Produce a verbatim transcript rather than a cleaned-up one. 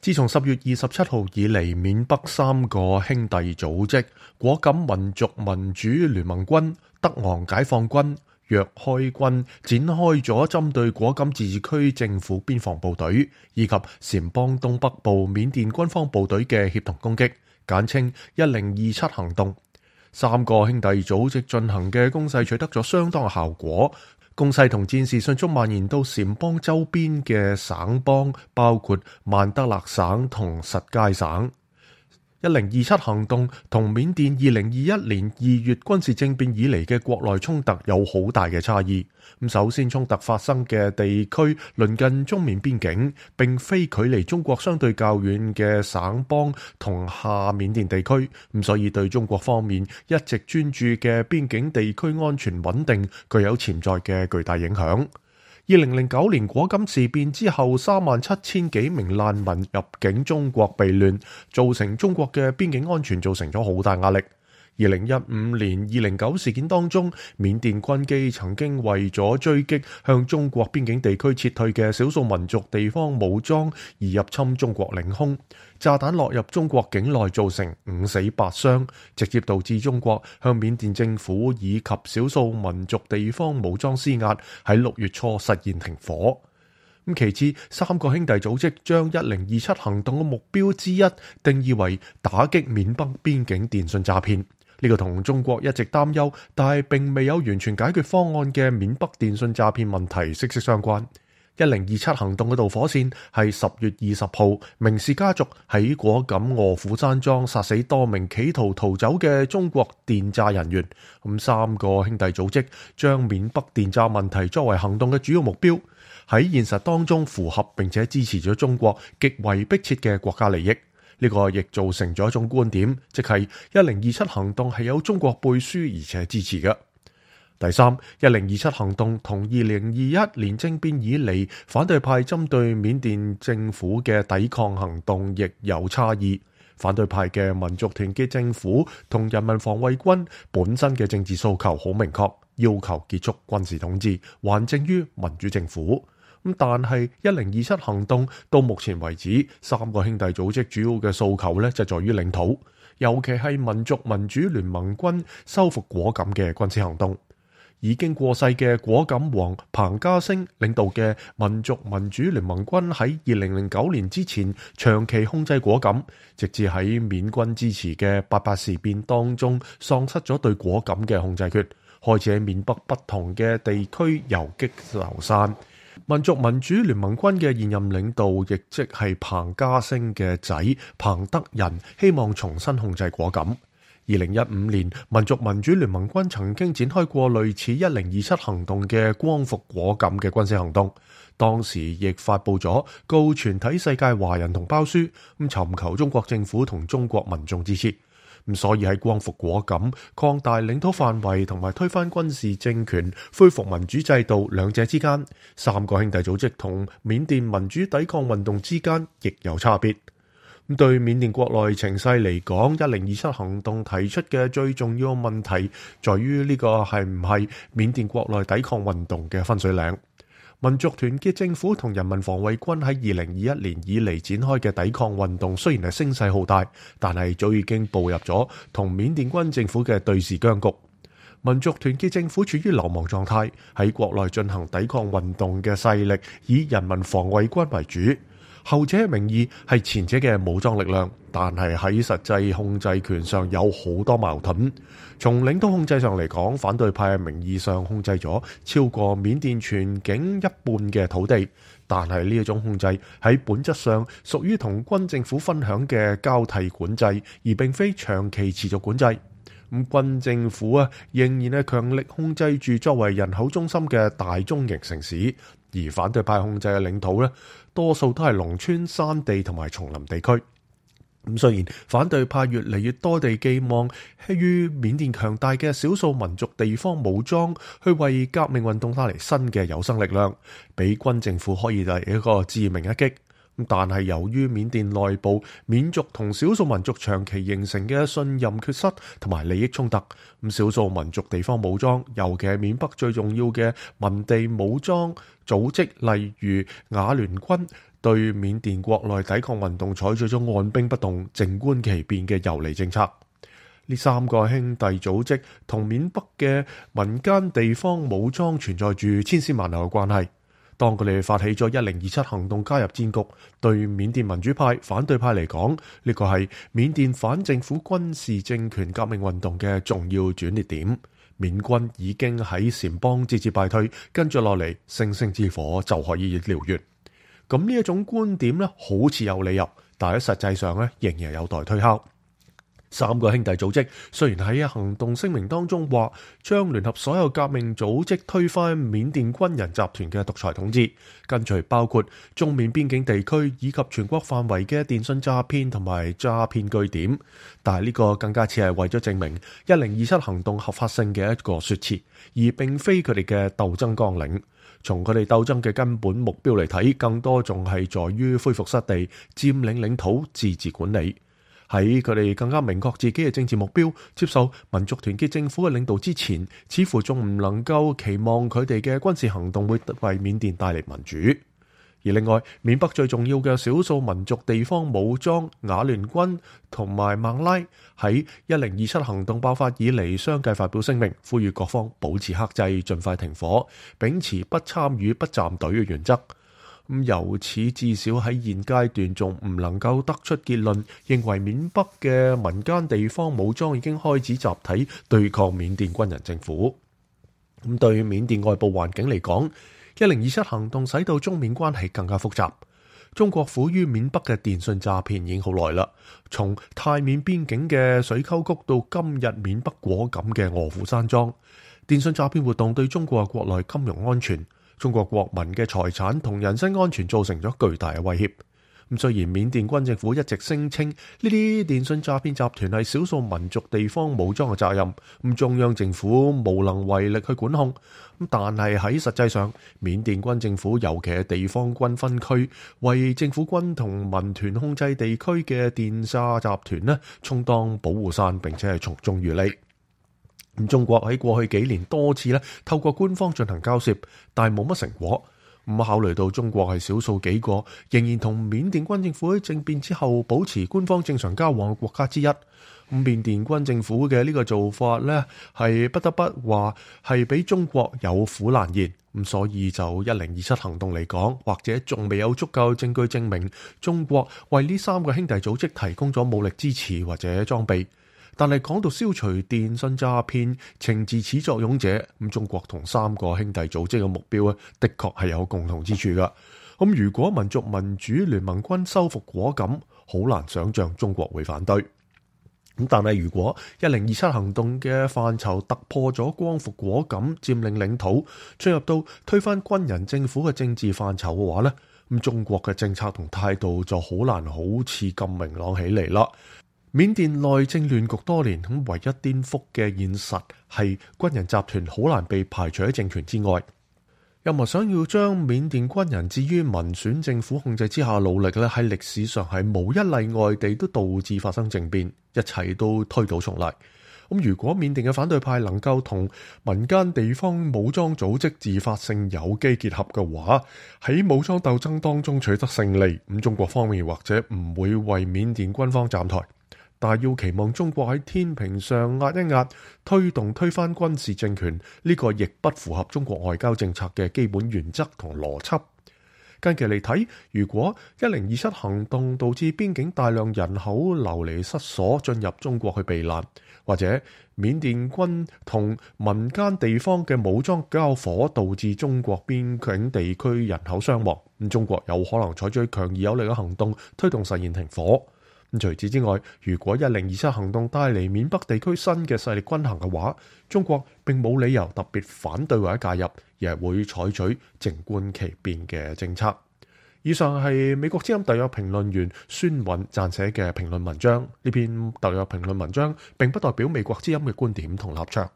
自從十月二十七號以嚟，緬北三個兄弟組織果敢民族民主聯盟軍、德昂解放軍、若開軍展開咗針對果敢自治區政府邊防部隊以及撣邦東北部緬甸軍方部隊嘅協同攻擊，簡稱一零二七行動。三個兄弟組織進行嘅攻勢取得咗相當嘅效果，攻勢同戰事迅速蔓延到撣邦周邊嘅省邦，包括曼德勒省同實皆省。一零二七行動同緬甸二零二一年二月軍事政變以嚟嘅國內衝突有好大嘅差異。咁首先，衝突發生嘅地區鄰近中緬邊境，並非距離中國相對較遠嘅省邦同下緬甸地區，咁所以對中國方面一直專注嘅邊境地區安全穩定具有潛在嘅巨大影響。二零零九年果敢事變之後，三萬七千幾名難民入境中國避亂，造成中國嘅邊境安全造成咗好大壓力。二零一五年二零九事件當中，緬甸軍機曾經為咗追擊向中國邊境地區撤退嘅少數民族地方武裝而入侵中國領空，炸彈落入中國境內，造成五死八傷，直接導致中國向緬甸政府以及少數民族地方武裝施壓，喺六月初實現停火。咁其次，三個兄弟組織將一零二七行動嘅目標之一定義為打擊緬北邊境電信詐騙。呢個同中國一直擔憂，但係並未有完全解決方案嘅緬北電信詐騙問題息息相關。一零二七行動嘅導火線係十月二十號，明氏家族喺果敢臥虎山莊殺死多名企圖逃走嘅中國電詐人員。咁三個兄弟組織將緬北電詐問題作為行動嘅主要目標，喺現實當中符合並且支持咗中國極為迫切嘅國家利益。呢個亦造成咗一種觀點，即係一零二七行動係有中國背書而且支持嘅。第三，一零二七行動同二零二一年政變以嚟反對派針對緬甸政府嘅抵抗行動亦有差異。反對派嘅民族團結政府同人民防衛軍本身嘅政治訴求好明確，要求結束軍事統治，還政於民主政府。咁但係一零二七行動到目前為止，三個兄弟組織主要嘅訴求呢，就在於領土，尤其係民族民主聯盟軍收復果敢嘅軍事行動。已經過世嘅果敢王彭家聲領導嘅民族民主聯盟軍喺二零零九年之前長期控制果敢，直至喺緬軍支持嘅八八事變當中喪失咗對果敢嘅控制權，開始喺緬北不同嘅地區游擊流散。民族民主聯盟軍嘅現任領導，亦即係彭家聲嘅仔彭德仁，希望重新控制果敢。二零一五年，民族民主聯盟軍曾經展開過類似一零二七行動嘅光復果敢嘅軍事行動，當時亦發佈咗告全體世界華人同胞書，咁尋求中國政府同中國民眾支持。咁所以喺光復果敢、擴大領土範圍同埋推翻軍事政權、恢復民主制度兩者之間，三個兄弟組織同緬甸民主抵抗運動之間亦有差別。咁對緬甸國內情勢嚟講，一零二七行動提出嘅最重要問題，在於呢個係唔係緬甸國內抵抗運動嘅分水嶺。民族團結政府同人民防衛軍喺二零二一年以嚟展開嘅抵抗運動，雖然係聲勢浩大，但係早已經步入咗同緬甸軍政府嘅對峙僵局。民族團結政府處於流亡狀態，喺國內進行抵抗運動嘅勢力以人民防衛軍為主，後者嘅名義係前者嘅武裝力量，但係喺實際控制權上有好多矛盾。從領土控制上嚟講，反對派名義上控制咗超過緬甸全境一半嘅土地，但係呢一種控制喺本質上屬於同軍政府分享嘅交替管制，而並非長期持續管制。咁軍政府啊，仍然係強力控制住作為人口中心嘅大中型城市，而反對派控制嘅領土呢，多數都係農村、山地同埋叢林地區。咁雖然反對派越嚟越多地寄望於緬甸強大嘅少數民族地方武裝去為革命運動帶嚟新嘅有生力量，俾軍政府可以嚟一個致命一擊。但係由於緬甸內部緬族同少數民族長期形成嘅信任缺失同埋利益衝突，咁少數民族地方武裝，尤其係緬北最重要嘅民地武裝組織，例如雅聯軍，對緬甸國內抵抗運動採取咗按兵不動、靜觀其變嘅游離政策。呢三個兄弟組織同緬北嘅民間地方武裝存在住千絲萬縷嘅關係。當佢哋發起咗一零二七行動加入戰局，對緬甸民主派、反對派嚟講，呢個係緬甸反政府軍事政權革命運動嘅重要轉捩點。緬軍已經喺撣邦節節敗退，跟住落嚟星星之火就可以燎原。咁呢一種觀點咧，好似有理由，但喺實際上咧，仍然有待推敲。三個兄弟組織雖然喺行動聲明當中話將聯合所有革命組織推翻緬甸軍人集團嘅獨裁統治，跟隨包括中緬邊境地區以及全國範圍嘅電信詐騙同埋詐騙據點，但係呢個更加似係為咗證明一零二七行動合法性嘅一個說辭，而並非佢哋嘅鬥爭綱領。從佢哋鬥爭嘅根本目標嚟睇，更多仲係在於恢復失地、佔領領土、自治管理。喺佢哋更加明確自己嘅政治目標，接受民族團結政府嘅領導之前，似乎仲唔能夠期望佢哋嘅軍事行動會為緬甸帶嚟民主。而另外，緬北最重要嘅少數民族地方武裝雅聯軍同埋孟拉喺一零二七行動爆發以嚟，相繼發表聲明，呼籲各方保持克制，盡快停火，秉持不參與、不站隊嘅原則。咁由此至少喺現階段仲唔能夠得出結論，認為緬北嘅民間地方武裝已經開始集體對抗緬甸軍人政府。咁對緬甸外部環境嚟講，一零二七行動使到中緬關係更加複雜。中國苦於緬北嘅電信詐騙已經好耐啦，從泰緬邊境嘅水溝谷到今日緬北果敢嘅臥虎山莊，電信詐騙活動對中國國內金融安全、中國國民嘅財產同人身安全造成咗巨大嘅威脅。咁雖然緬甸軍政府一直聲稱呢啲電信詐騙集團係少數民族地方武裝嘅責任，咁中央政府無能為力去管控。咁但係喺實際上，緬甸軍政府尤其係地方軍分區，為政府軍同民團控制地區嘅電詐集團呢充當保護傘，並且係從中漁利。咁中國喺過去幾年多次咧透過官方進行交涉，但係冇乜成果。咁考慮到中國係少數幾個仍然同緬甸軍政府喺政變之後保持官方正常交往嘅國家之一，咁緬甸軍政府嘅呢個做法呢，係不得不話係俾中國有苦難言。咁所以就一零二七行動嚟講，或者仲未有足夠證據證明中國為呢三個兄弟組織提供咗武力支持或者裝備。但係講到消除電信詐騙，懲治始作俑者，咁中國同三個兄弟組織嘅目標咧，的確係有共同之處噶。咁如果民族民主聯盟軍收復果敢，好難想象中國會反對。咁但係如果一零二七行動嘅範疇突破咗光復果敢、佔領領土，進入到推翻軍人政府嘅政治範疇嘅話呢，咁中國嘅政策同態度就好難好似咁明朗起嚟啦。緬甸內政亂局多年，咁唯一顛覆嘅現實係軍人集團好難被排除喺政權之外。任何想要將緬甸軍人置於民選政府控制之下努力咧，喺歷史上係無一例外地都導致發生政變，一切都推倒重來。咁如果緬甸嘅反對派能夠同民間地方武裝組織自發性有機結合嘅話，喺武裝鬥爭當中取得勝利，咁中國方面或者唔會為緬甸軍方站台。但係要期望中國喺天平上壓一壓，推動推翻軍事政權，呢個亦不符合中國外交政策嘅基本原則同邏輯。近期嚟睇，如果一零二七行動導致邊境大量人口流離失所，進入中國去避難，或者緬甸軍同民間地方嘅武裝交火，導致中國邊境地區人口傷亡，咁中國有可能採取強而有力嘅行動，推動實現停火。除此之外，如果一零二七行動帶嚟緬北地區新嘅勢力均衡嘅話，中國並冇理由特別反對或者介入，而係會採取靜觀其變嘅政策。以上係美國之音特約評論員孫韻撰寫嘅評論文章。呢篇特約評論文章並不代表美國之音嘅觀點同立場。